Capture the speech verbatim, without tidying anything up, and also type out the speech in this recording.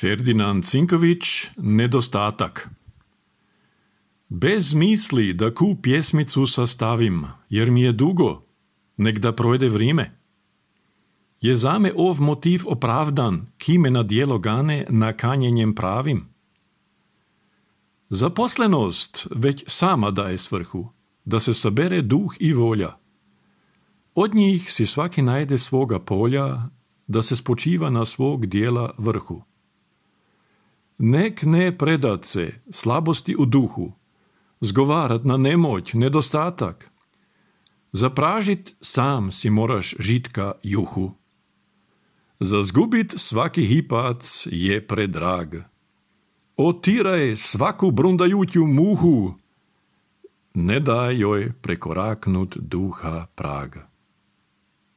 Ferdinand Cinković, Nedostatak. Bez misli da ku pjesmicu sastavim, jer mi je dugo, nek da projde vrime. Je zame ov motiv opravdan, ki me na djelo gane nakanjenjem pravim. Zaposlenost već sama daje svrhu, da se sabere duh i volja. Od njih si svaki najde svoga polja, da se spočiva na svog dijela vrhu. Nek ne predat se slabosti u duhu, zgovarat na nemoć, nedostatak. Zapražit sam si moraš žitka juhu. Zazgubit svaki hipac je predrag. Otiraj svaku brundajuću muhu, ne daj joj prekoraknut duha praga.